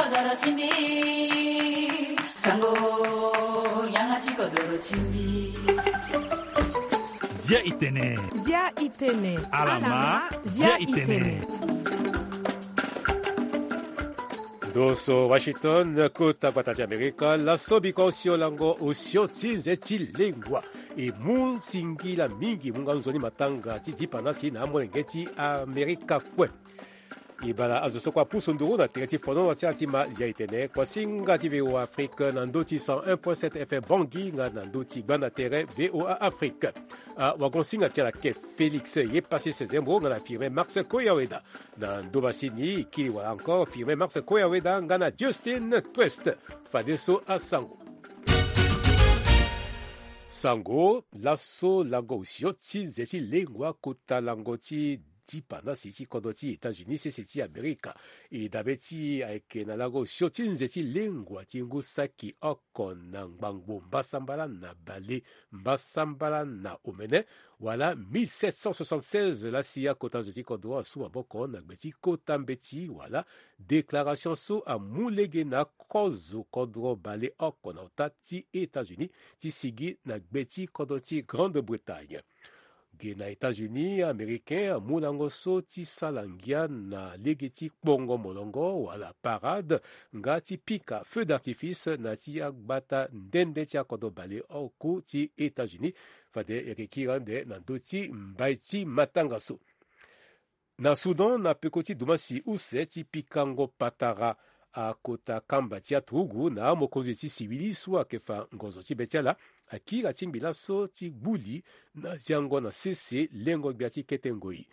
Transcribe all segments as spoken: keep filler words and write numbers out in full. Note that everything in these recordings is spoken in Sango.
Doro ti mbi, sango, yanga ti kodoro ti mbi. Zia itene. Zia itene. Alama, zia itene. Ndo so Washington, kota gbata ti Amerika, laso biko osio lango osio ti nze ti lengua. E mu singila mingi mu nga nzoni matanga ti dipanda si na amolenge ti Amerika kue. E bala azo so kue apusu nduru na tere ti fonono ti ala ti ma ya etene kuasinga ti V O A Afrique na ndö ti cent un point sept F M Bangui nga na ndö ti gbanda tere V O A Afrique. Awagonsinga ti ala ke Félix ye pasi sezembo nga na Firmin Max Koyaweda. Na ndö masini kiri wala encore Firmin Max Koyaweda nga na Justin Twest. Fadeso asango. Sango laso lango osio ti nze ti lengua kota lango ti dipanda si ti kodro ti États-Unis sese ti Amerika. E dabe ti ayeke na lango osio ti nze ti lengua ti ngu saki oko na ngbangbo mbasambala na bale mbasambala na omene wala mille sept cent soixante-seize lasi akota zo ti kodro asu maboko na gbe ti kota mbeti wala déclaration so amu lege na kozo kodro bale oko na ota ti États-Unis ti sigi na gbe ti kodro ti Grande-Bretagne. Ge na États-Unis, Américain amu lango so ti sala ngia na lege ti kpongo molongo wala parade nga ti pika feu d'artifice na ti agbata nde nde ti akodro bale oko ti États-Unis. Fade e yeke kiri ande na ndö ti mbai ti matanga so. Na Soudan, na peko ti dumasi use ti pikango patara akota kamba ti aturugu na amokonzi ti siwili so ayeke fa ngonzo ti be ti ala akiri atingbi laso ti gbuli na ziango na sese lengo-gbia ti kete ngoi.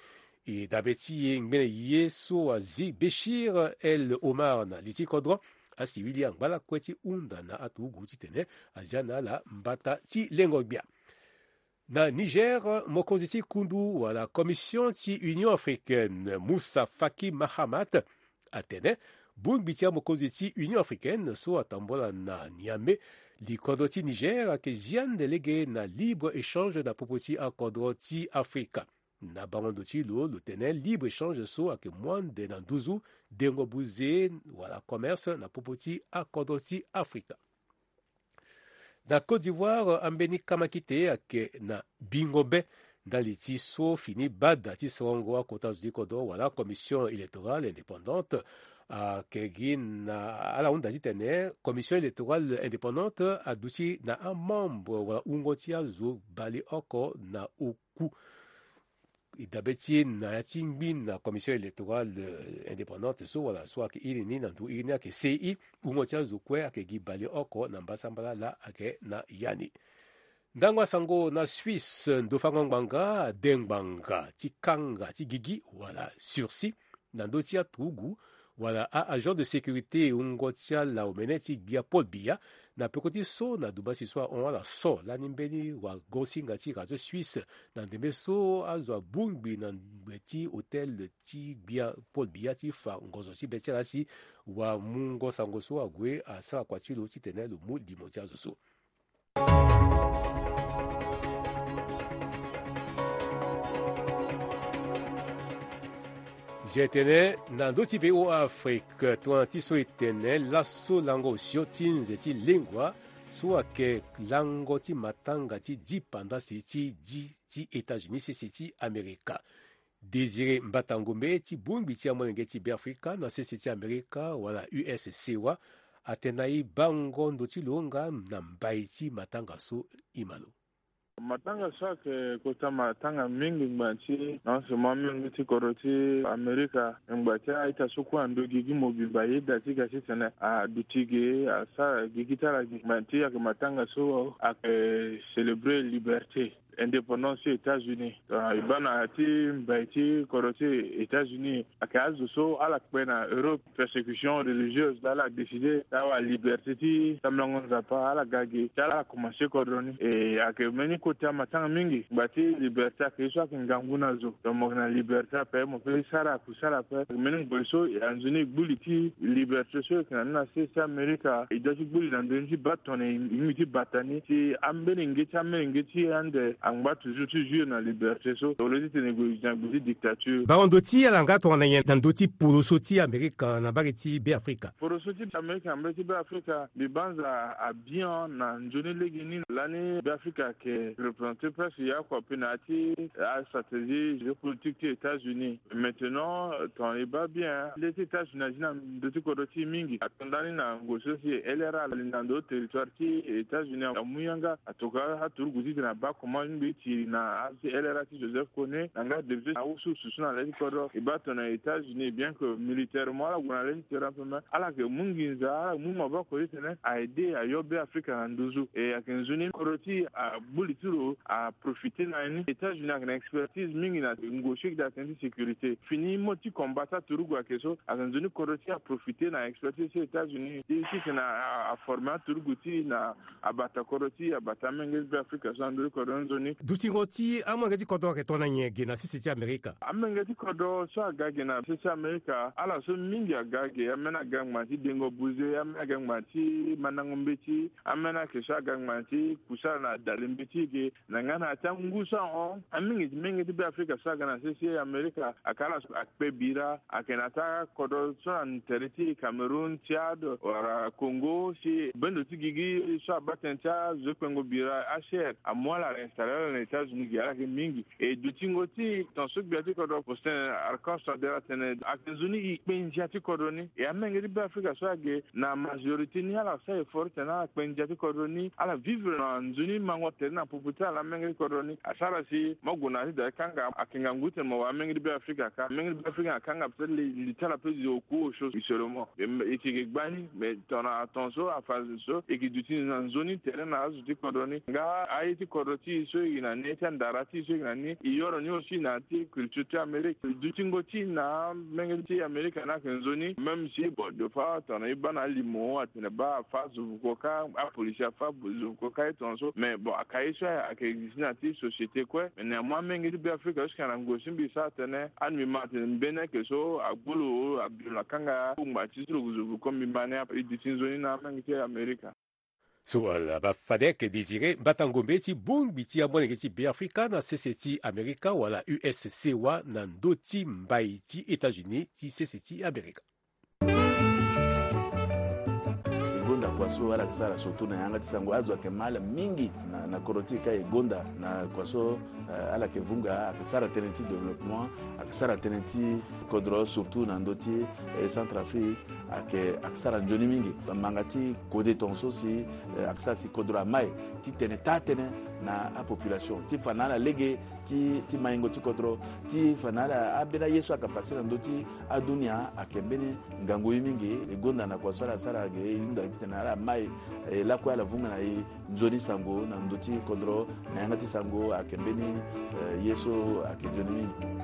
E dabe ti e ngbene ye so azi Béchir El Omar na li ti kodro asiwili angba lakue ti hunda na aturugu titene azia na ala mbata ti lengo-gbia. Na Niger, mokonzi ti kundu wala commission ti Union africaine, Moussa Faki Mahamat, atene bongbi ti amokonzi ti Union africaine so atambola na Niamey, li kodro ti Niger ayeke zi ande lege na libre échange na popo ti akodro ti Afrika. Na bango ndo ti lo, lo tene libre échange so ayeke mu ande na nduzu dengo buze wala commerce na popo ti akodro ti Afrika. Na Côte d'Ivoire, ambeni kamakite ayeke na bingo be ndali ti so fini bada ti sorongo akota zo ti kodro wala commission électorale indépendante. Ayeke gi na ala hunda titene commission électorale indépendante aduti na amembre wala wungo ti azo baleoko na oku. E dabe ti e na ya ti ngbi na commission électorale indépendante so wala so ayeke iri ni na nduru iri ni ayeke C I, wungo ti azo kue ayeke gi baleoko na mbasambala laa ayeke na ya ni. Ndango asango na Suisse, ndo fango ngbanga ade ngbanga ti kanga ti gigi wala sursis na ndö ti aturugu wala a-agent de sécurité wungo ti ala omene ti gbia Paul Biya. Na peko ti so na dumasi so ahon ala so lani mbeni wagosinga ti radio Suisse na ndembe so azo abongbi na ngbe ti hôtel ti gbia Paul Biya ti fa ngonzo ti be ti ala si wamungo sango so ague asara kua ti lo titene lo mu limo ti azo so. Zia etene na ndö ti V O A Afrique, tongana ti so e tene laso lango osio ti nze ti lengua so ayeke lango ti matanga ti dipandasi ti di ti États-Unis sese ti Amerika. Désiré Mbata Ngombe ti bongbi ti amolenge ti Beafrika na sese ti Amerika wala U S C O A atene na e bango ndo ti lo nga na mbai ti matanga so e ma lo. Matanga so ayeke kota matanga mingi ngba ti na ose mo amolenge ti kodro ti Amerika ngba ti a-ita so kue ando gigi mobimba yeda ti ga titene aduti ge asara gigi ti ala ge ngba ti ayeke matanga so ayeke célébrer liberté. Indépendance ti États-Unis. Ah, e baa na ya ti mbai ti kodro ti États-Unis ayeke azo so ala kpe na Europe persécution religieuse, ala décide ti awa liberté ti sambelango Nzapa, ala ga ge ti ala commencer kodro ni. E ayeke mbeni kota matanga mingi ngba ti liberté ayeke ye so ayeke ngangu na zo. Donc mo yeke na liberté ape mo peut ti sara akusala ape. Ayeke mbeni ngoi so anzoni e gbu li ti liberté so e yeke na ni na sese ti Amerika, e doit ti gbu li na ndoni ti baa tongana e mingbi ti bata ni si ambeni nge ti ambeni nge ti ande angba toujours ti jouir na liberté so, au lieu ti tene e gue na gbe ti dictature. Bango ndo ti ala nga tongana nyen na ndö ti poroso ti Amerika na mbage ti Be Afrika? Poroso ti Amerika na mbage ti Be Afrika, mbi banza abian na nzoni lege ni lani Be Afrika ayeke représenter presque ya oko ape na ya ti astratégie géopolitique ti États-Unis. Maintenant, tongana e baa bien, le ti États-Unis azi na ndö ti kodro ti e mingi. Ato ndani na ngoi so si e L R A ali na ndö ti territoire ti États-Unis amu yanga. Atoka aturugu titene abaa comment ngbii ti na azo ti L R A ti Joseph Kone na nga député na ahusu susu na le ti kodro. E baa tongana États-Unis, bien que militairement ala gue na le ti terrain ape, mais ala yeke mu nginza, ala yeke mu maboko titene a aider ayo Be Afrika na nduzu. E ayeke nzoni kodro ti e agbu li ti lo, aprofiter na ni. États-Unis ayeke na expertise mingi na ngoi so e yeke daa tënë ti sécurité. Fini mot ti combat ti aturugu ayeke so, ayeke nzoni kodro ti e aprofiter na expertise ti États-Unis ti titene a, a, aformer aturugu ti e na abata kodro ti e, abata amenge ti Be Afrika so na ndö ti kodro nzoni. Dutingo ti amolenge ti kodro ayeke tongana nyen ge na sese ti Amerika? Amenge ti kodro so aga ge na sese ti Amerika, ala so mingi aga ge, ambeni aga ngbanga ti dengo buze, ambeni aga ngbanga ti mandango mbeti, ambeni ayeke so aga ngbanga ti kusa na dale mbeti ge, na nga na ya ti angu so ahon. Amenge ti menge ti Be Afrika so aga na sese ti Amerika, ayeke ala so akpe bira, ayeke na ya ti akodro so na tere ti Cameroun, Tchad, wala Congo, si bendo ti gigi so abaa tënë ti azo ti kpengo bira, H C R, amu ala, réinstaller ala na États-Unis ge, ala yeke mingi. E dutingo ti e, tongaso gbia ti kodro Faustin Archange Touadéra atene, ayeke nzoni e kpe ndia ti kodro ni. E amenge ti Be Afrika so age, na majorité ni, ala sara effort titene ala kpe ndia ti kodro ni, ala vivre na nzoni mango tere na popo ti ala amenge ti kodro ni. Asara si mo gue na ya ti da ti kanga, ayeke ngangu titene mo wara amenge ti Be Afrika ka. Amenge ti Be Afrika akanga peut-être li, li ti ala peut-être oku osio seulement. E, e yeke gbani, mais tongana tongaso afa zo so, e yeke duti na nzoni tere na azo ti kodro ni. Nga aye ti kodro ti e so e yeke na ni, aye ti andara ti e so e yeke na ni, e yoro ni aussi na ya ti culture ti Amérique. Dutingo ti e na amenge ti Amérique ni ayeke nzoni, même si, bon, des fois tongana e baa na alimo atene baa afa zo vuko kâ, apolisi afa zo vuko kâ, e tongaso. Mais bon, aka ye so ayeke existe na ya ti société kue. Mais néanmoins amenge ti Be Afrika so si ayeke na ngoi so mbi sara tënë, anu mbi ma atene mbeni ayeke so agbu lo, abi lo na kanga, kungba ti so lo zo vuko, mbi ma ni ape. E duti nzoni na amenge ti Amérique. So ala baa fade ayeke Désiré Mbata Ngombe ti bongbi ti amolenge ti Be Afrika na sese ti Amerika wala U S C O A na ndö ti mbai ti États-Unis ti sese ti Amerika. E gonda kua so ala yeke sara surtout na yanga ti sango, azo ayeke ma ala mingi na, na kodro ti e ka e gonda na kua so, eh, ala yeke vunga, ayeke sara tënë ti développement, ayeke sara tënë ti kodro surtout na ndö ti, eh, Centrafrique. Ayeke, ayeke sara nzoni mingi. Manga ti kode tongaso si, eh, ayeke sara si kodro amai titene taa tënë na apopulation ti fa na ala lege ti, ti maingo ti kodro, ti fa na ala ambeni aye so ayeke pase na ndö ti adunia. Ayeke mbeni ngangu ye mingi. E gonda na kua so ala sara ge, e hunda titene ala mai, eh, lakue ala vunga na e nzoni sango na ndö ti kodro na yanga ti sango. Ayeke mbeni, eh, ye so ayeke nzoni mingi.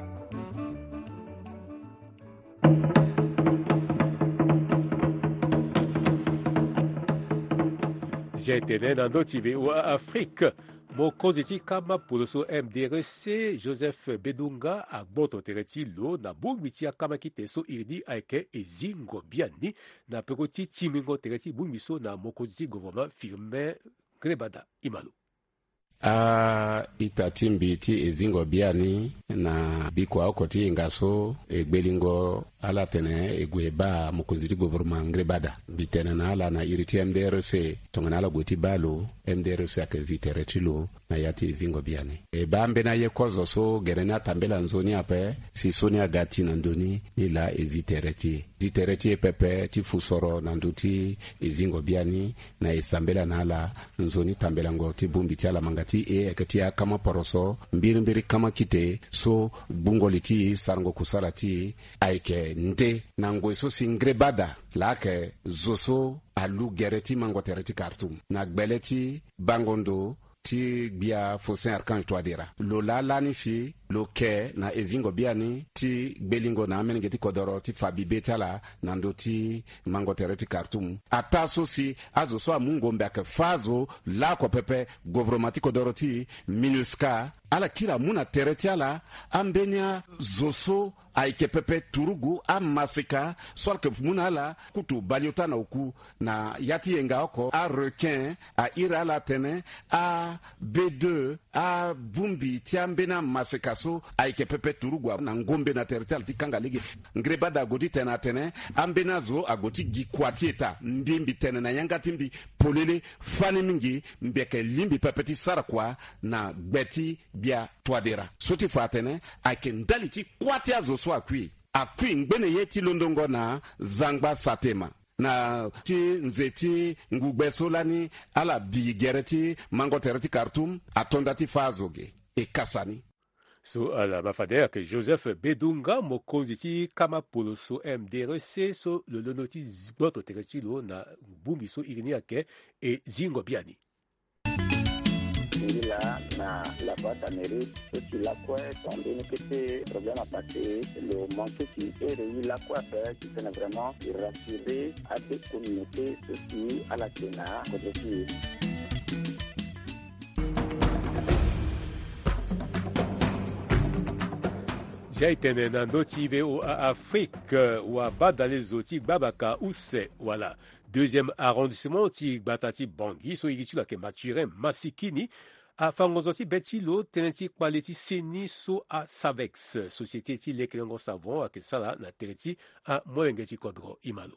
Zia e tene na ndö ti V O A Afrique. Mokonzi ti kama poloso M D R C, Joseph Bedunga, agboto tere ti lo na bongbi ti akama kite so iri ni ayeke Ezingo Biani, na peko ti tingbingo tere ti bongbi so na mokonzi ti gouvernement Firmin Ngrébada. E ma lo. A-ita ti mbi ti Ezingo Biani na bikua oko ti yenga so, e gbelingo ala tene e gue e baa mokonzi ti gouvernement Ngrébada. Mbi tene na ala na iri ti M D R C, tongana ala gue ti baa lo, M D R C ayeke zi tere ti lo na ya ti Ezingo Biani. E baa mbeni aye kozo so gere ni atambela nzoni ape, si so ni aga ti na ndö ni, ni laa e zi tere ti e. Zi tere ti e pepe ti fu soro na ndö ti Ezingo Biani, na e sambela na ala nzoni tambelango ti bongbi ti ala manga ti e ayeke ti akama poroso, mbirimbiri kama kite so gbungo li ti e, sarango kusala ti e ayeke nde na ngoi so si Ngrébada laa ayeke zo so alu gere ti mango tere ti Khartoum na gbele ti bango ndo ti gbia Faustin Archange Touadéra. Lo laa lani si lo ke na Ezingo Biani ti gbelingo na amolenge ti kodoro ti fa bibe ti ala na ndö ti mango tere ti Khartoum. Ataa so si azo so amu ngombe ayeke fâ azo laoko pepe, gouvernement ti kodoro ti MINUSCA, ala kiri amu na tere ti ala ambeni azo so ayeke pepe turugu, amaseka so ala yeke mu na ala kutu baleota na oku na ya ti yenga oko, arequin, a iri ala atene a B deux, Abongbi ti ambeni amaseka so ayeke pepe turugua na ngombe na tere ti ala ti kanga lege. Ngreba daa ague ti tene atene ambeni azo ague ti gi kua ti eta mbi mbi tene na yanga ti mbi polele. Fani mingi mbi yeke lingbi pepe ti sara kua na gbe ti gbia Touadéra so ti fa atene ayeke ndali ti kuâ ti azo so akui. Akui ngbene ye ti londongo na zangba satema na ti nze ti ngugbe so lani ala bi gere ti mango tere ti Khartoum ato nda ti fâ azo ge. E kasa ni. So ala ma fade ayeke Joseph Bedunga, mokonzi ti kama poloso M D R C so lo londo ti gboto tere ti lo na bongbi so iri ni ayeke e zingo biani. Ngila na la boîte d'Amérique so si lakue tongana mbeni kete problème apassé, lo manqué si ere ye lakue ape si tene vraiment e rassurer ade communauté so si ala tene na kodro ti e. Zia e tene na ndö ti V O A Afrique, wabadale zo ti gbabaka use wala deuxième arrondissement ti gbata ti Bangui so iri ti lo ayeke Mathurin Massikini afa ngonzo ti be ti lo tënë ti kpale ti seni so aSavex, société ti lekelengo savon, ayeke sara na tere ti amolenge ti kodro. Imalo.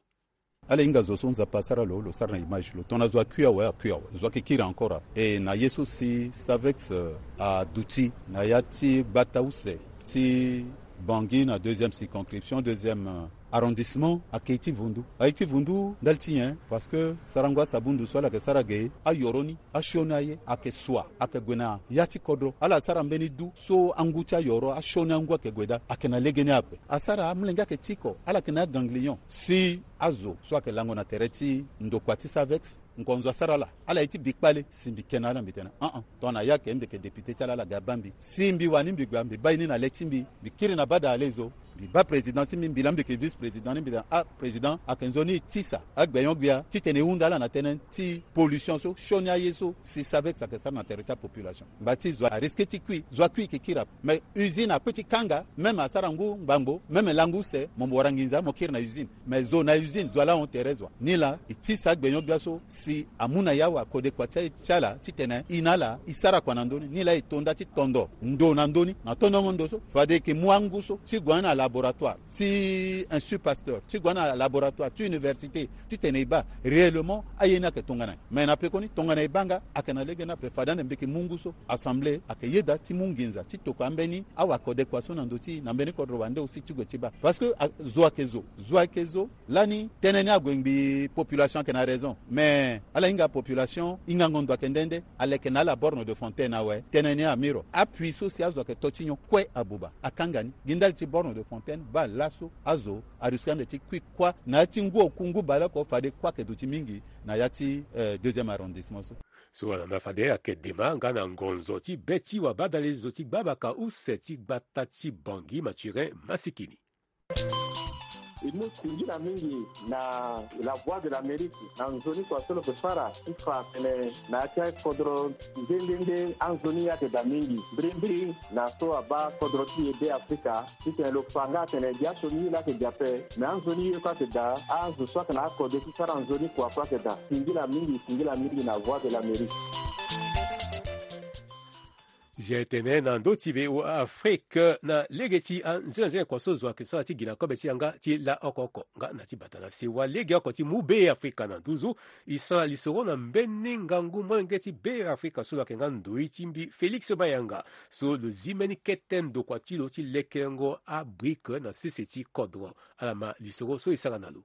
Ala hinga zo so Nzapa asara lo, lo sara na image lo. Tongana zo akui awe, akui awe. Zo ayeke kiri encore awe. E na ye so si Stavex, euh, aduti na ya ti gbata use ti Bangui na deuxième circonscription, deuxième, euh, arrondissement, ayeke ye ti vundu. Aye ti vundu ndali ti nyen? Parce que sarango asabundu so ala yeke sara ge, ayoro ni, asioni aye, ayeke sua, ayeke gue na ya ti kodro. Ala sara mbeni du so angu ti ayoro, asioni angu ayeke gue daa, ayeke na legeni ape. Asara amolenge ayeke tiko, ala yeke na aganglion. Si azo so ayeke lango na tere ti ndokua ti Savex, ngonzo asara ala, ala ye ti bi kpale, si mbi ke na ala mbi tene, ah ah. Tongana ya ke mbi yeke député ti ala, ala ga baa mbi. Si mbi wani mbi gbia, mbi baa ye ni na le ti mbi, mbi kiri na bada alezo, mbi baa président ti mbi, mbi laa mbi yeke vice président ni, mbi tene, ah, président, ayeke nzoni e tisa agbenyo-gbia titene e hunda ala na tënë ti pollution so, sioni aye so si Savex ayeke sara na tere ti apopulation. Ngba ti zo arisque ti kui, zo akui e yeke kiri ape. Mais usine akui ti kanga, même asara ngu ngbangbo, même lango use, mo mo wara nginza, mo kiri na usine. Mais zo na usine, zo alahon tere zo wa. Nilaa e tisa agbenyo-gbia so si amu na ya awakodekua ti, ti ala titene e na ala e sara kua na ndö ni. Nilaa e to nda ti tondo ndo na ndö ni. Na tondongo ndo so, fade e yeke mu angu so ti gue na laboratoire ti Institut Pasteur, ti gue na laboratoire ti université, titene e baa réellement aye ni ayeke tongana nyen. Mais na pekoni tongana e baa nga, ayeke na legeni ape. Fade ande mbi yeke mu ngu so, assemblée ayeke yeda ti mu nginza ti tokua ambeni awakodekua so na ndö ti e, na mbeni kodro wande aussi ti gue ti baa. Parce que, ah, zo ayeke zo, zo ayeke zo. Lani tënë ni ague ngbii, population ayeke na raison. Mais ala hinga population, hingango ndo ayeke nde nde, ala yeke na ala borne de fontaine awe, tënë ni amiro. Apuits so si azo ayeke to ti nyon kue abuba, akanga ni. Gi ndali ti borne de fontaine, baa laso azo arisque ande ti kui kuâ na ya ti ngu oku ngu baleoko, fade kuâ ayeke duti mingi na ya ti, euh, deuxième arrondissement so. So wala na fade ayeke dema nga na ngonzo ti be ti wabadale zo ti gbabaka use ti gbata ti Bangui, Mathurin Massikini. E mu singila mingi na La Voix de l'Amérique na nzoni kua so lo yeke fara ti fa atene na ya ti akodro nde nde nde anzoni ye ayeke daa mingi. Mbirimbiri na so abaa kodro ti e Be Afrika, titene lo fa nga atene gi asioni ye laa ayeke daa ape, me anzoni ye kue ayeke daa, azo so ayeke na akode ti sara nzoni kua kue ayeke daa. Singila mingi, singila mingi na Voix de l'Amérique. Zia e tene na ndö ti V O A Afrique na lege ti anzenanzena kua so zo ayeke sara ti gi na kobe ti yanga ti la oko oko nga na ti bata na sewa legeoko ti mu Be Afrika na nduzu. E sara lisoro na mbeni ngangu molenge ti Be Afrika so lo yeke nga ndoi ti mbi Félix Mayanga, so lo zi mbeni kete ndokua ti lo ti lekelengo abrique na sese ti kodro. Ala ma lisoro so e sara na lo.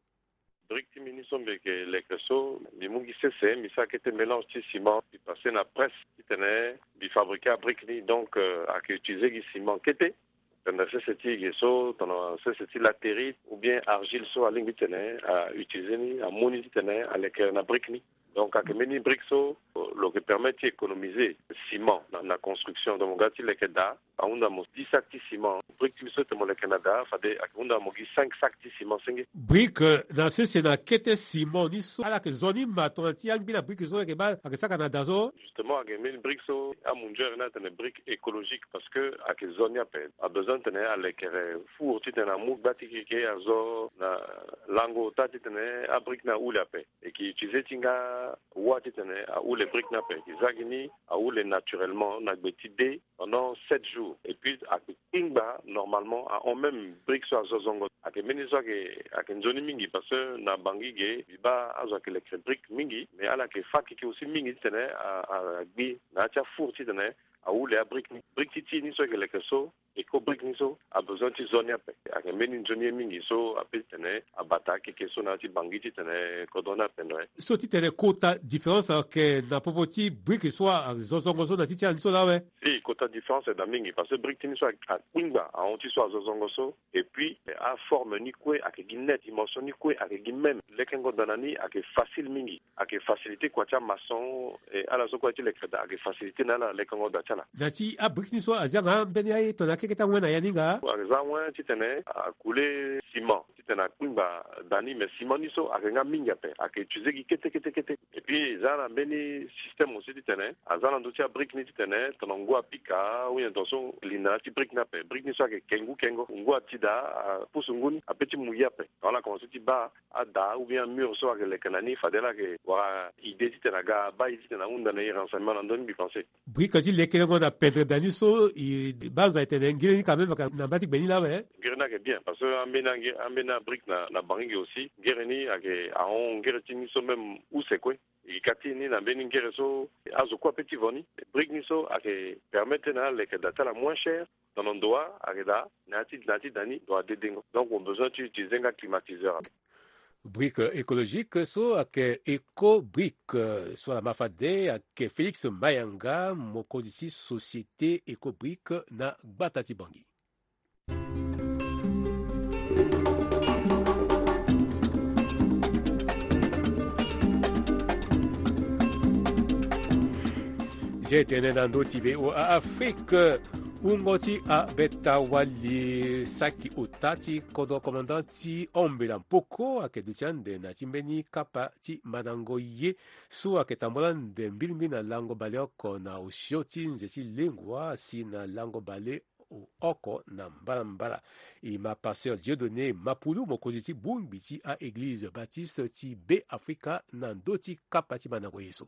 Brique ti mbi ni so mbi yeke leke so, mbi mu gi sese, mbi sara kete mélange ti ciment, mbi passé na presse titene mbi fabriquer abrique ni. Donc, euh, ayeke utiliser gi ciment kete. Tongana sese ti e ge so, tongana sese ti latérite ou bien argile so alingbi titene a utiliser ni, amu ni titene aleke na brique ni. Donc, ayeke mbeni brique so lo yeke permettre ti économiser ciment na, na construction. Donc, mo ga ti leke daa, Ahunda mo dix sacs ti ciment. Brique ti mbi so tene mo leke na da, fade ayeke hunda mo gi cinq sacs ti ciment senge. Brique na sese na kete ciment ni so, ala yeke zo ni ma tongana ti angbi na brique so ayeke baa ayeke saka na da so. Justement, ayeke mbeni brique so amunzere ni atene brique écologique, parce que ayeke zo ni ape. Abezoin titene alekere four titene amu gba ti keke azo na lango ota titene abrique ni ahule ape. E ke utiliser ti nga wâ titene ahule brique ni ape. E ke za gi ni ahule naturellement na gbe ti dé pendant sept jours. Et puis ayeke kpingba normalement ahon même brique so azo zongo. Ayeke mbeni so ayeke, ayeke nzoni mingi parce que na Bangui ge mbi baa azo ayeke lekere brique mingi, mais ala yeke fâ keke aussi mingi titene a, a, agbi na ya ti afour titene ahule abrique ni. Brique ti ti ni so e ke leke so, éco brique ni so, abezoin ti zo ni ape. Ayeke mbeni nzoni ye mingi so ape titene abata akeke so na ya ti Bangui titene kodro ni ape ndo aye. So titene kota différence ayeke na popo ti brique so azo zongo so na ti ti ala ni so laa awe? Si, kota différence ayeke daa mingi parce que brique ti ni so akpingba ahon ti so azo zongo so. Et puis aforme ni kue ayeke gi net, dimension ni kue ayeke gi même. Lekengo daa na ni ayeke facile mingi. Ayeke facilité kua ti amaçon, e ala so kue ti lekere daa ayeke facilité na ala lekengo daa ti ala. Na ti abrique ni so aza nga mbeni aye tongana akeke ti awen na ya ni nga? Aza awen titene akule ciment titene akpingba daa ni, mais ciment ni so ayeke nga mingi ape, ayeke utiliser gi kete kete kete. Et puis eza na mbeni système aussi titene aza na ndö ti abrique ni titene tongana ngu apika ou bien tongaso li na ya ti brique ni ape, brique ni so ayeke ke ngu kengo, ngu ati daa apusu ngu ni ape ti mu ye ape. Donc ala commencer ti baa ada ou bien amur so ayeke leke na ni, fade ala yeke wara idée titene aga abaa e titene ahunda na e renseignement na ndö ni, mbi pense. Brique ti lekerengo na pendere daa ni so, e banza e tene ngiri ni quand même ayeke na mba ti gbe ni laa awe? Ngiri ni ayeke bien parce que ambeni angi, ambeni abrique na, na Bangui ge aussi, ngiri ni ayeke ahon ngiri ti ni so même use kue. E ka ti ni na mbeni ngiri so azo kue ape ti vo ni. Brique ni so ayeke permettre na ala leke daa ti ala moins cher. Tongana ndo wa ayeke daa na ya ti, na ya ti da ni ndo wa dedengo. Donc mo besoin ti utiliser nga climatiseur. Brique écologique so ayeke Eco Brique, so ala ma fade ayeke Félix Mayanga, mokonzi ti société Eco Brique na gbata ti Bangui. Nze tene na ndö ti V O A Afrique, wungo ti abeta wali saki ota ti kodro commandant ti Ombela Mpoko ayeke duti ande na ti mbeni kapa ti mandango ye so ayeke tambula ande mbilimbili na lango baleoko na osio ti nze ti lengua si na lango baleoko na mbalambala. E ma pasteur Dieudonné Mapulu, mokonzi ti bongbi ti a-eglize baptiste ti Be Afrika na ndö ti kapa ti mandango ye so.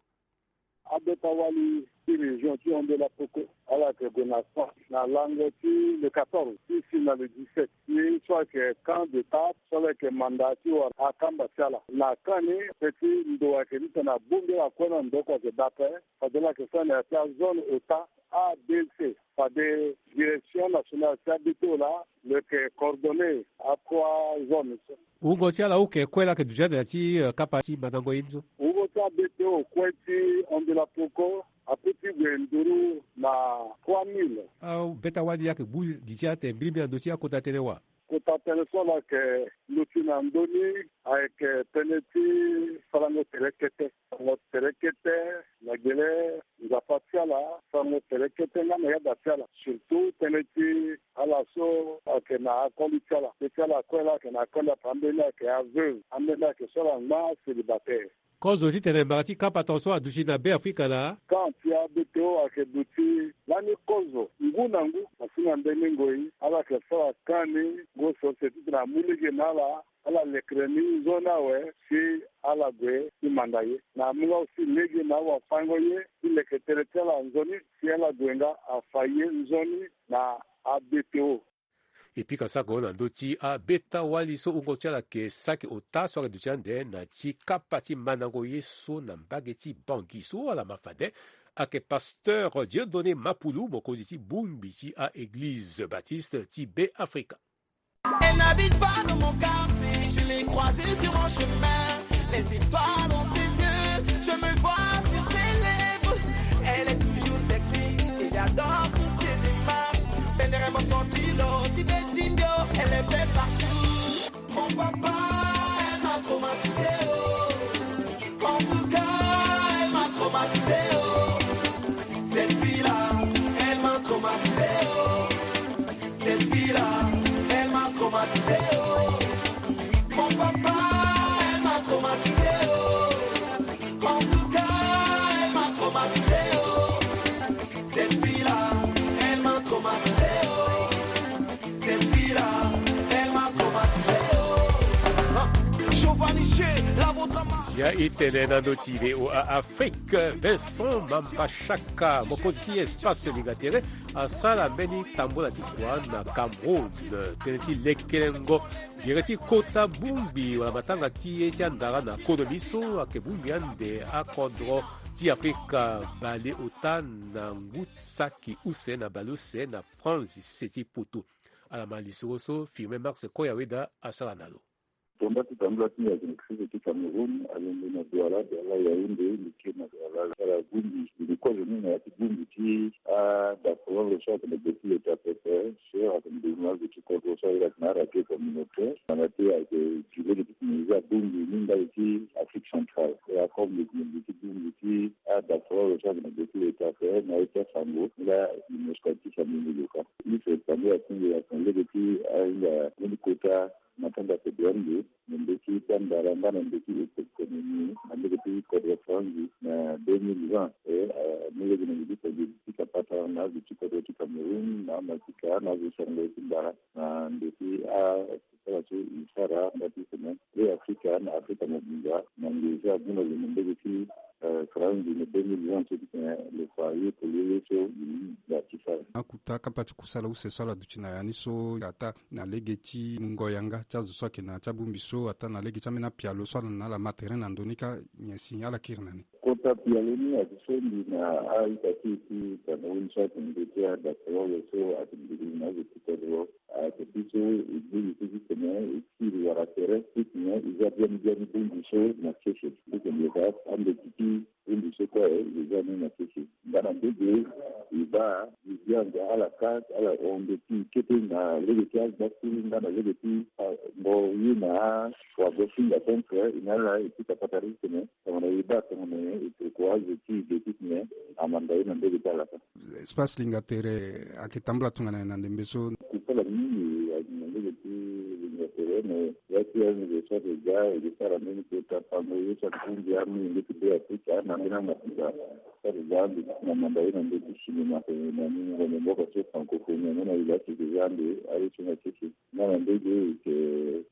Abeta wali ti région ti Ombela Mpoko, ala yeke gue na France na lango ti le quatorze ti si na le dix-sept. Ye so ayeke camp d'étape so ala yeke manda ti wara akamba ti ala. Na camp ni, pe ti ndo ayeke titene abongbi ala kue na ndo oko ayeke daa ape. Fade ala yeke sara na ya ti azone ota A B C. Fade direction nationale ti abeto laa lo yeke coordonner akroa zone so. Wungo ti ala oke kue laa ayeke duti ande na ti, eh, kapa ti mandango ye ni so. Wungo ti abeto kue ti Ombela Mpoko apeut ti gue nduru na trois mille. Abeta wali ayeke gbu li ti atene mbilimbili na ndö ti akota tënë wa. Kota tënë so ala yeke luti na ndö ni ayeke tënë ti sarango tere kete. Sarango tere kete na gbele Nzapa ti ala, sarango tere kete nga na yada ti ala. Surtout tënë ti ala so ayeke na akoli ti ala. Be ti ala kue laa ayeke na akoli ape, ambeni ayeke aveugle, ambeni ayeke so ala ngba célibataire. Kozo titene mbara ti kapa tongaso aduti na Be Afrika laa? Camp ti abeto ayeke duti lani kozo ngu na ngu. Asi na mbeni ngoi ala yeke sara camp ni ngu ose ose titene amu lege na ala. Ala lekere ni nzoni awe si ala gue ti manda ye. Na amu nga aussi lege na awafango ye ti leke tere ti ala nzoni si ala gue nga afa ye nzoni na abeto. E pika sako na ndö ti abeta wali so wungo ti ala yeke saki ota so ayeke duti ande na ti kapa ti mandango ye so na mbage ti Bangui so ala ma fade. Ayeke pasteur Dieudonné Mapulu, mokonzi ti bongbi ti a-eglize baptiste ti Be Afrika. Elle n'habite pas dans mon quartier, je l'ai croisée sur mon chemin. Les étoiles dans ses yeux, je me vois sur ses lèvres. Elle est toujours sexy, et j'adore toutes ses démarches. Pendere mo senti lo ti be ti mbio, elle est belle partout. Mon papa, elle m'a traumatisé, oh. En tout cas, elle m'a traumatisé, oh. Cette fille-là, elle m'a traumatisé, oh. Mon papa, elle m'a traumatisé, oh. En tout cas, elle m'a traumatisé, oh. Cette fille-là, elle m'a traumatisé, oh. Cette fille-là, elle m'a traumatisé, oh. Giovanni G, la vôtre. Ya i tene na ndö ti V O A Afrique, Vincent Mambashaka, mokonzi ti espace Lingatere, asara mbeni tambola ti kua na Cameroun, tënë ti lekelengo gere ti kota bongbi wala matanga ti ye ti andara na kodro ni so ayeke bongbi ande akodro ti Afrika baleota na ngu ti saki use na baleuse na France, sese ti poto. Ala ma lisoro so Firmin Marx Koyaweda asara na lo. Tonda ti tambula ti ndia ayeke na sese ti Cameroun, alongo na Douala, Douala Yaoundé, li ke na Douala. Ala bongbi, li kozo ni na ya ti bongbi ti adafolongo so ayeke na gbe ti leta pepe, so ayeke na gbe ti kodro so ayeke na aradio communautaire. Tongana ti ayeke gi lege ti tene e za bongbi ni ndali ti Afrique centrale. E akombe gi lege ti bongbi ti adafolongo so ayeke na gbe ti leta pepe na ye ti asango, nga l'UNESCO ayeke ti fa mbeni lo ka. Use tambula ti ndia ayeke na lege ti ahinga mbeni kota matanga federal ndo na ndö ti bandara nga na ndö ti économie na ndö ti kodro Franzi na deux mille vingt. E, eh, mu lege na ndö ti kodro ti Kapata na azo ti kodro ti Cameroun na Masika na azo sango ti mbara na ndö ti asara so e sara nga ti tene Be Afrika na Afrika mobimba na nge so abu na lo na ndö ti, eh, Franzi na deux mille vingt so ti tene lo fa ye polele so e ga ti sara. Akuta kapa ti kusala use so ala duti na ya ni so ataa na lege ti mungo yanga ti azo so ayeke na ya ti abongbi so ataa na lege ti ambeni apialo so ala na ala ma tere na ndo ni kâ, nyen si ala kiri na ni? Kota pialo ni ayeke so mbi na a-ita ti e ti Cameroun so ayeke na ndö ti adafolongo so ayeke nduru na azo ti kodro. Ayeke ti so e gbu li ti titene e kiri wala tere titene e za biani biani bongbi so na sese. Titene e fa ande ti ti bongbi so kue e za ni na sese. Nga na ndege e baa e bianga ala ka ala hon nde ti e kete na lege ti agbakuru nga na lege ti, ah, mo ye na awagosinga centre e na ala e ti tapata titene tongana e baa tongana e tokua azo ti e ge titene amanda ye na ndege ti ala ka. Espace Lingatere ayeke tambula tongana nyen na ndembe so? Kusala mingi ayeke na ndege ti Lingatere, me ya ti azo so ayeke ga e yeke sara mbeni kota pango ye so ayeke ti ndia amolenge ti Be Afrika na ambeni amakuta so ayeke ga ande ti na manda ye na ndö ti cinéma, eh, na ni ngonda mboka so francophonie ame na e la ti yeke ga ande aye so na sese. Nga na ndege e yeke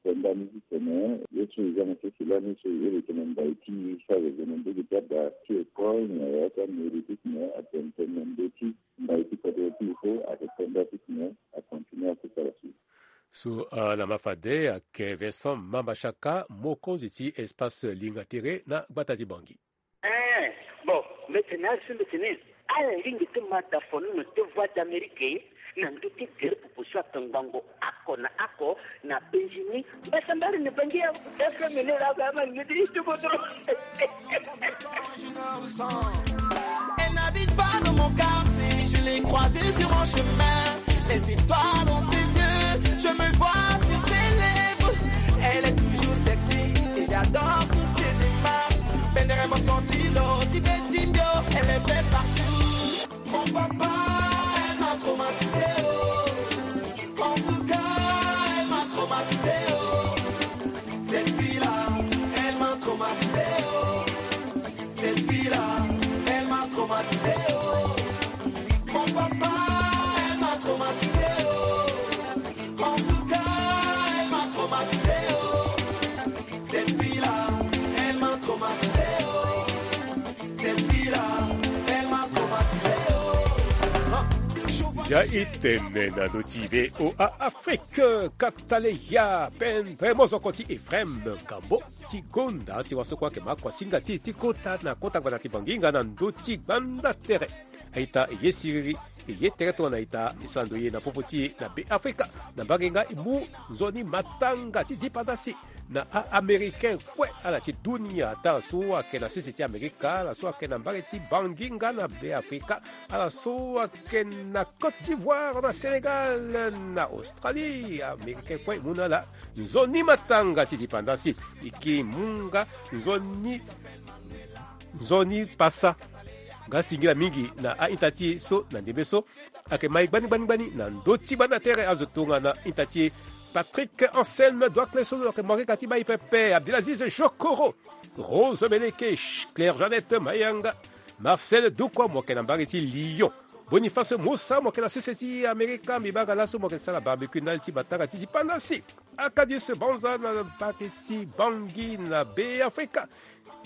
penda ni titene ye so e za na sese lani so e yeke na mbai ti e so ayeke na ndege ti ada ti école na ya ti amairie titene atene tene na ndö ti mbai ti kodro ti e so ayeke penda titene acontinue akusala so. So, ah, na ma fade ayeke Vincent Mambashaka, mokonzi ti Espace Lingatere na gbata ti Bangui. Eh, bon, mbi tene azo so mbi tene ala lingbi ti ma dafono na te Voix d'Amérique na ndö ti gere popo so atongbango oko na oko na Benjini. Mbasambari na Bangui ya. F M ni la ga ma ni di tu bodro. Elle n'habite pas dans mon quartier, je l'ai croisée sur mon chemin. Les étoiles dans ses yeux, je me vois sur ses lèvres. Elle est toujours sexy et j'adore toutes ses démarches. Bendere mo senti lo ti beti mbio, elle est belle partout. Mon papa, elle m'a traumatisé, oh. En tout cas, elle m'a traumatisé, oh. Cette fille-là, elle m'a traumatisé, oh. Cette fille-là, elle m'a traumatisé, oh. Mon papa, elle m'a traumatisé, oh. En tout cas, elle m'a traumatisé, oh. Cette fille-là, elle m'a traumatisé, oh. Cette fille-là, elle m'a traumatisé, oh. Ja i tene na ndö ti V O A Afrique, kataleya pendere mozoko ti Ephraim Gambo ti gonda si waso kue ayeke ma kua singa ti e ti kota na kota gbata ti Bangui nga na ndö ti gbanda tere. A-ita e ye siriri, e ye tere tongana ita e sara ndo ye na popo ti e na Be Afrika. Na mbage nga e mu nzoni matanga ti dipandasi na a-Américain kue, ala ti dunia, ata ala so ayeke na sese ti Amerika, ala so ayeke na mbage ti Bangui nga na Be Afrika, ala so ayeke na Côte d'Ivoire, na Sénégal, na Australie, Américain kue e mu na ala nzoni matanga ti dipandasi. E ke mu nga nzoni, nzoni pasa. Nga singila mingi na a-ita ti e so na ndembe so ayeke mai gbani gbani gbani na ndö ti gbanda tere azo tongana a-ita ti e Patrick Anselme Doakle so lo yeke mokeka ti bai pepe, Abdelaziz Jokoro, Rose Beleke, Claire Jeannette Mayanga, Marcel Dukwa, mo yeke na mbage ti Lyon. Boniface Musa, mo yeke na sese ti Amerika, mbi baa nga laso mo yeke sara barbecue ndali ti batanga ti dipanda si. Akadis Banza na mbage ti Bangui na Beafrika.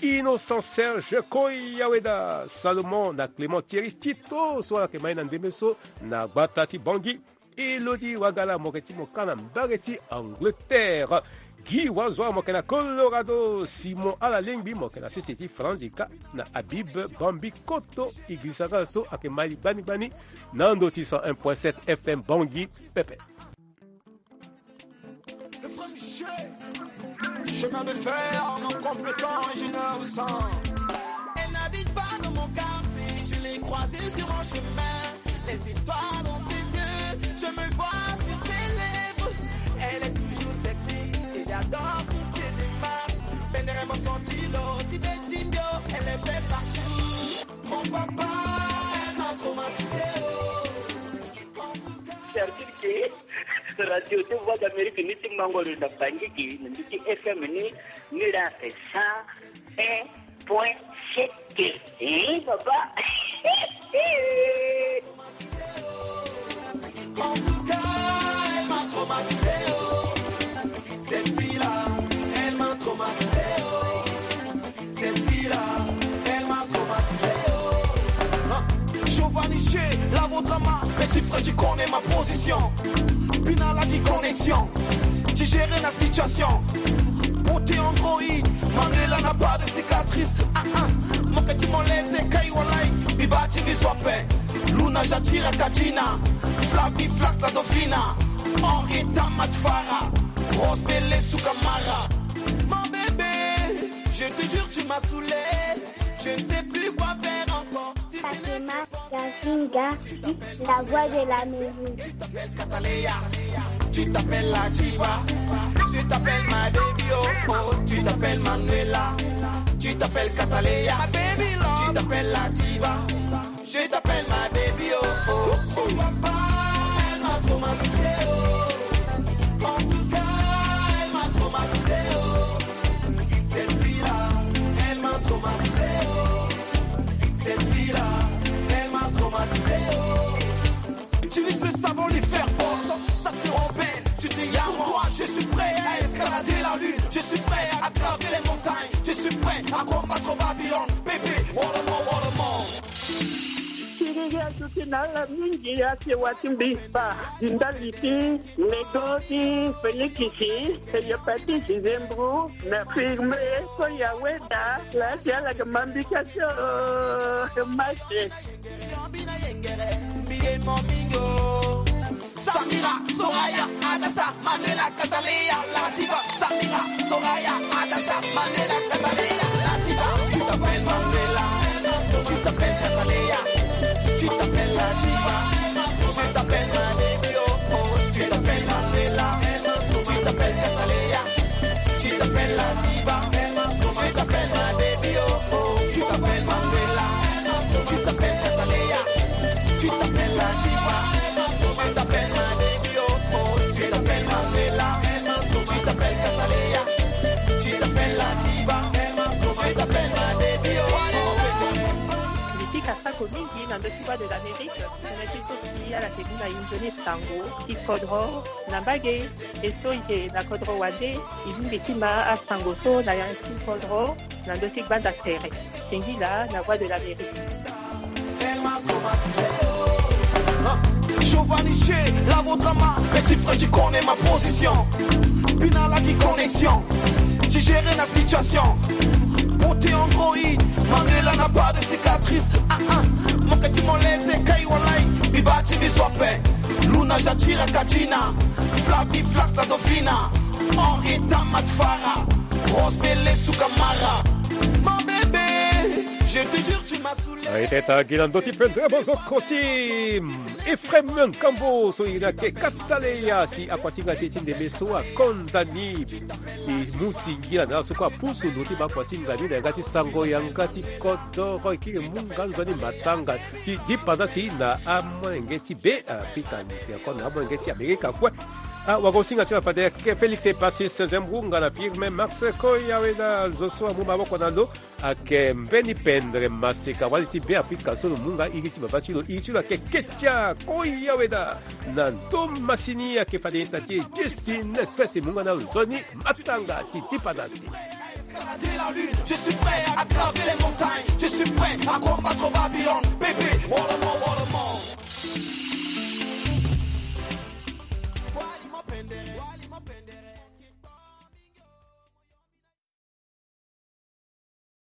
Innocent Serge Koyaweda, Salomon na Clément Thierry Tito so ala yeke ma ye na ndembe so na gbata ti Bangui. Elodi Wagala, mo yeke ti mo kâ na mbage ti Angleterre. Guy Wazoa, mo yeke na Colorado. Simon Alalengbi, mo yeke na sese ti Franzika na Habib Bambi Koto. Igrisa nga so ayeke ma li gbani gbani na ndo ti cent un point sept F M Bangui pepe. Le vrai Michel, chemin de fer, en complétant, je le ressens. Elle n'habite pas dans mon quartier, je l'ai croisée sur mon chemin. Les étoiles dans ses yeux, je me vois sur ses lèvres. Elle est toujours sexy, et j'adore toutes ses démarches. Bendere mo senti lo ti beti mbio, elle est belle partout. Mon papa, elle m'a traumatisé, oh. Servir ke radio ti Voix d'Amérique ni ti mango lo na Bangui ke na ndö ti F M ni, ni la ake cent un point sept. Hein, papa? En tout cas, elle m'a traumatisé, oh. Cette fille-là, elle m'a traumatisé, oh. Cette fille-là, elle m'a traumatisé, oh. Giovanni Che, Lavo Drama, petit frère, tu connais ma position. Bina la di connexion, digérer la situation. Beauté androïde, Manuela n'a pas de cicatrice. Ah ah, mo yeke ti mo leze kai walai, mbi baa ti mbi zo ape. Luna Jatira Kadina, Flavie Flax la Dauphina, Henrietta Matfara, Rose Bele Sukamara. Mon bébé, je te jure, tu m'as saoulé. Je ne sais plus quoi faire encore. Si ce n'est que Fatima Yazinga, la voix de l'Amérique. Tu t'appelles Catalea, tu t'appelles la diva. Je t'appelle ma baby, oh, oh. Tu t'appelles Manuela, tu t'appelles Catalea, ma baby love. Tu t'appelles la diva. Je t'appelle ma baby, oh, oh. Papa, elle m'a traumatisé, oh. En tout cas, elle m'a traumatisé, oh. Cette fille-là, elle m'a traumatisé, oh. Cette fille-là, elle m'a traumatisé, oh. Utilise le savon, les faire boss, ça te rend belle. Tu te dis, pour toi, je suis prêt à escalader la lune. Je suis prêt à graver les montagnes. Je suis prêt à combattre Babylone. Bébé, wolomo, wolomo. Siriri aduti na ala mingi, ake wa ti mbi, ba, di ndali ti Nego ti Felikisi, Hepatite Zembro, na Firme, Koya Weda, la ti ala ga mambika so, Mache. Samira, Soraya, Adassa, Manuela, Catalea, la diva. Samira, Soraya, Adassa, Manuela, Catalea, la diva. Tu t'appelles Manuela, tu t'appelles Catalea, tu t'appelles la diva. Je t'appelle ma baby, oh, oh. Tu t'appelles Manuela, tu t'appelles Catalea, tu t'appelles la diva. Je t'appelle ma baby, oh, oh. Tu t'appelles Manuela, tu t'appelles Catalea, tu t'appelles la diva. Je t'appelle ma baby, oh, oh. Tu t'appelles Manuela, tu t'appelles Catalea, tu t'appelles la diva. Je t'appelle ma baby, oh, oh. Mbi pika sako mingi na ndö ti Voix de l'Amérique, tënë ti so si ala ke mu na e nzoni sango ti kodro na mbage. E so e yeke na kodro wande, e lingbi ti ma asango so na ya ti kodro na ndö ti gbanda tere. Singila na Voix de l'Amérique. Giovanni Che, Lavo Drama, petit frère, tu connais ma position. Bina la di connexion, digérer la situation. Beauté androïde, Manuela n'a pas de cicatrice. Ah ah, mo yeke ti mo leze kai walai, mbi baa ti mbi zo ape. Luna Jatira Kadina, Flavie Flax la Dauphina, Henrietta Matfara, Rose Bele Sukamara. Mon bébé, je te jure, tu m'as saoulé. Aye, teta gi na ndö ti pendere bozoko ti Ephraim Nkambo so e na ke Kataleya si akuasinga si ti ndembe so akonda ni. E mu singila na ala so kue apusu ndo ti baa kuasinga ni na yanga ti sango yanga ti kodoro e kiri mu nga nzoni matanga ti dipanda si na amolenge ti Beafrika ni, ti ako na amolenge ti Amerika kue. Ah, wagosinga ti la fade ke Félix Epasis Zembrunga na Firme Max Koyaweda zo so amu maboko na lo. Ake mbeni pendre maseka wali ti Be Afrika so lo mu nga iri ti baba ti lo, iri ti lo ake Ketia Koyaweda. Na ndo masini ake fade ita ti Justine Fese mu nga na lo nzoni matutanga ti ti padasi. Je suis prêt à graver les montagnes, je suis prêt à combattre Babylone.